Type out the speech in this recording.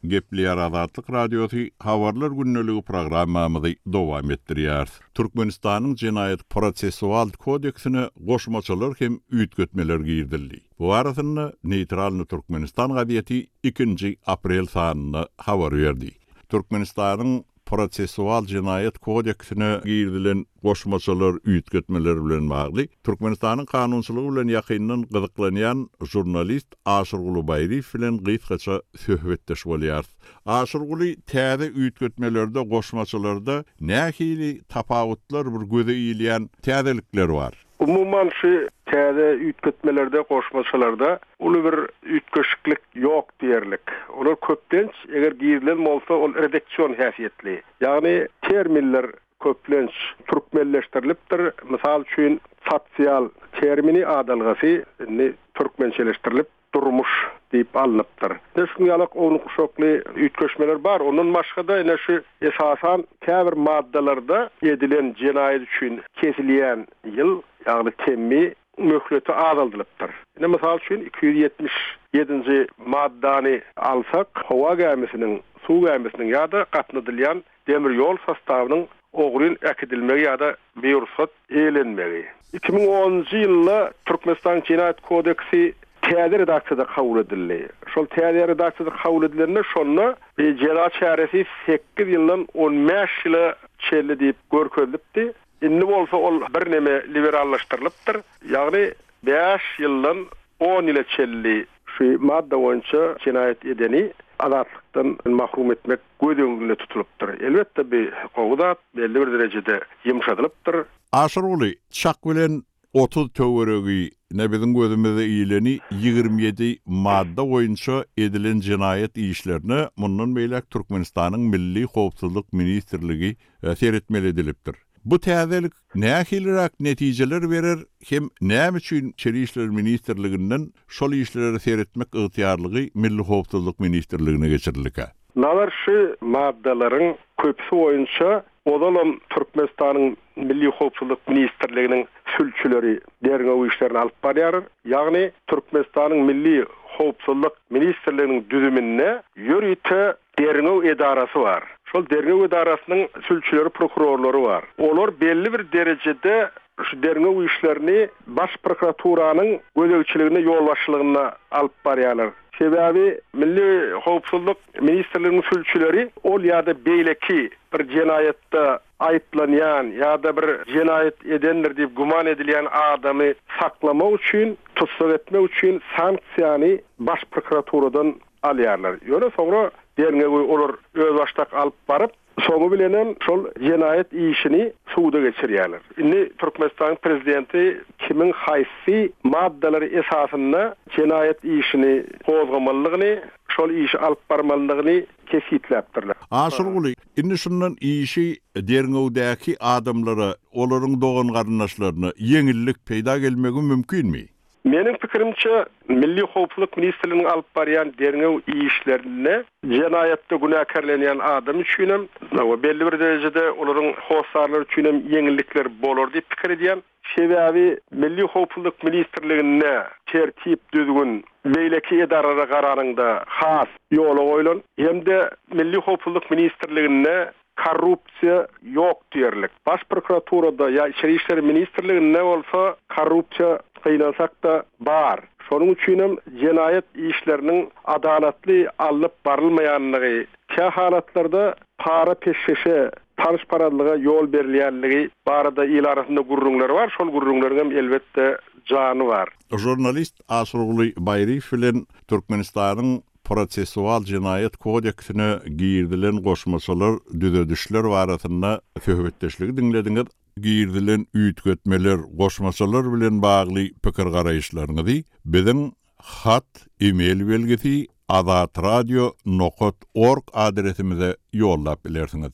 Gepleýär Azatlyk Radiosy Habarlar gündeligi programmamyzy dowam etdirýäris. Türkmenistanyň Jenaýat prosessual kodeksine goşmaçalar hem üýtgetmeler girizildi. Bu barasynda Neýtralnyý Türkmenistan gazeti ikinji aprel sanynda habar berdi. Türkmenistanyň Prosessual jenaýat kodeksine girizilen goşmaçalar, üýtgetmeler bilen bagly Türkmenistanyň kanunçylygy bilen ýakyndan gyzyklanýan žurnalist Aşyrguly Baýryýew bilen gysgaça söhbetdeş bolýarys. Aşyrguly, täze üýtgetmelerde, goşmaçalarda nähili tapawutlar, bir göze ilýän täzelikler bar? Umuman, şu täze üýtgetmelerde, goşmaçalarda uly bir üýtgeşiklik ýok diýerlik. Olar köplenç, eger girizilen bolsa, ol redaksion häsiýetli. Ýagny terminler köplenç türkmenleşdirilipdir. Mysal üçin, sosial termini, adalgasy indi türkmençeleşdirilip, durmuş diýip alnypdyr. Ine şuň ýalak ownuk-uşakly üýtgeşmeler bar. Ondan başga-da ine şu esasan käbir maddalarda edilen jenaýat üçin kesilýän ýyl, ýagny temmi möhleti azaldylypdyr. Ine mysal üçin 277-nji maddany alsak, howa gämisiniň, suw gämisiniň ýa-da gatnadylýan demir ýol sostawynyň ogryn äkidilmegi ýa-da birugsat eýlenmegi. 2010-njy ýylda Türkmenistanyň Jenaýat kodeksi täze redaksiýada kabul edildi. Şol täze redaksiýada kabul edilende şonda jeza çäresi sekiz ýyldan on bäş ýyla çenli diýip görkezilipdi. Indi bolsa ol birneme liberallaşdyrylypdyr. Ýagny bäş ýyldan on ýyla çenli şu madda boýunça jenaýat edeni azatlykdan mahrum etmek göz öňünde tutulypdyr. Elbetde, bu gowy zat, belli bir derejede ýumşadylypdyr. Aşyrguly, çak bilen 30 töweregi, ine biziň gözümize ileni 27 madda boýunça edilen jenaýat işlerine mundan beýläk Türkmenistanyň Milli howpsuzlyk ministrligi seretmeli edilipdir. Bu täzelik nähiliräk netijeler berer hem näme üçin Içeri işler ministrliginden şol işlere seretmek ygtyýarlygy Milli howpsuzlyk ministrligine geçirildikä? Nazar şu maddalaryň köpüsi boýunça ozalam Türkmenistanyň Milli howpsuzlyk ministrliginiň sülçüleri derňew işlerini alyp barýarlar. Ýagny Türkmenistanyň Milli howpsuzlyk ministrliginiň düzüminde ýörite Derňew edarasy bar. Şol derňew edarasynyň sülçüleri, prokurorlary bar. Olar belli bir derejede şu derňew işlerini Baş prokuraturanyň gözegçiliginde, ýolbaşçylygynda alyp barýarlar. Sebäbi Milli howpsuzlyk ministrliginiň sülçüleri ol ýa-da beýleki bir jenaýatda aýyplanýan ýa-da bir jenaýat edendir diýip güman edilýän adamy saklamak üçin, tussag etmek üçin sanksiýany Baş prokuraturadan alýarlar. Ýöne soňra derňewi olar özbaşdak alyp baryp, soňy bilenem şol jenaýat işini suda geçirýärler. Indi Türkmenistanyň prezidenti kimiň haýsy maddalar esasynda jenaýat işini gozgamalydygyny, şol işi alyp barmalydygyny kesgitläpdirler. Aşyrguly, indi şundan işi derňewdäki adamlara, olaryň dogan-garyndaşlaryna ýeňillik peýda gelmegi mümkinmi? Meniň pikirimçe, Milli howpsuzlyk ministrliginiň alyp barýan derňew işlerinde jenaýatda günäkärlenýän adam üçinem we belli bir derejede olaryň hossarlary üçinem ýeňillikler bolar diýip pikir edýän. Sebäbi Milli howpsuzlyk ministrliginde tertip, düzgün beýleki edaralara garanyňda has ýola goýlan hem-de Milli howpsuzlyk ministrliginde Korrupsiýa ýok diýerlik. Baş prokuraturada ýa Içeri işler ministrliginde bolsa korrupsiýa gynansak-da bar. Şonuň üçinem jenaýat işleriniň adalatly alnyp barylmaýanlygy, kä halatlarda para-peşgeşe, tanyşparazlyga ýol berilýänligi barada il arasynda gürrüňler bar. Şol gürrüňleriňem elbetde jany bar. Žurnalist Aşyrguly Baýryýew bilen Türkmenistanyň Prosessual jenaýat kodeksine girizilen goşmaçalar, düzedişler barasynda söhbetdeşligi diňlediňiz. Girizilen üýtgetmeler, goşmaçalar bilen bagly pikir-garaýyşlaryňyzy biziň hat, e-mail belgisi azatradio nokat org adresimize ýollap bilersiňiz.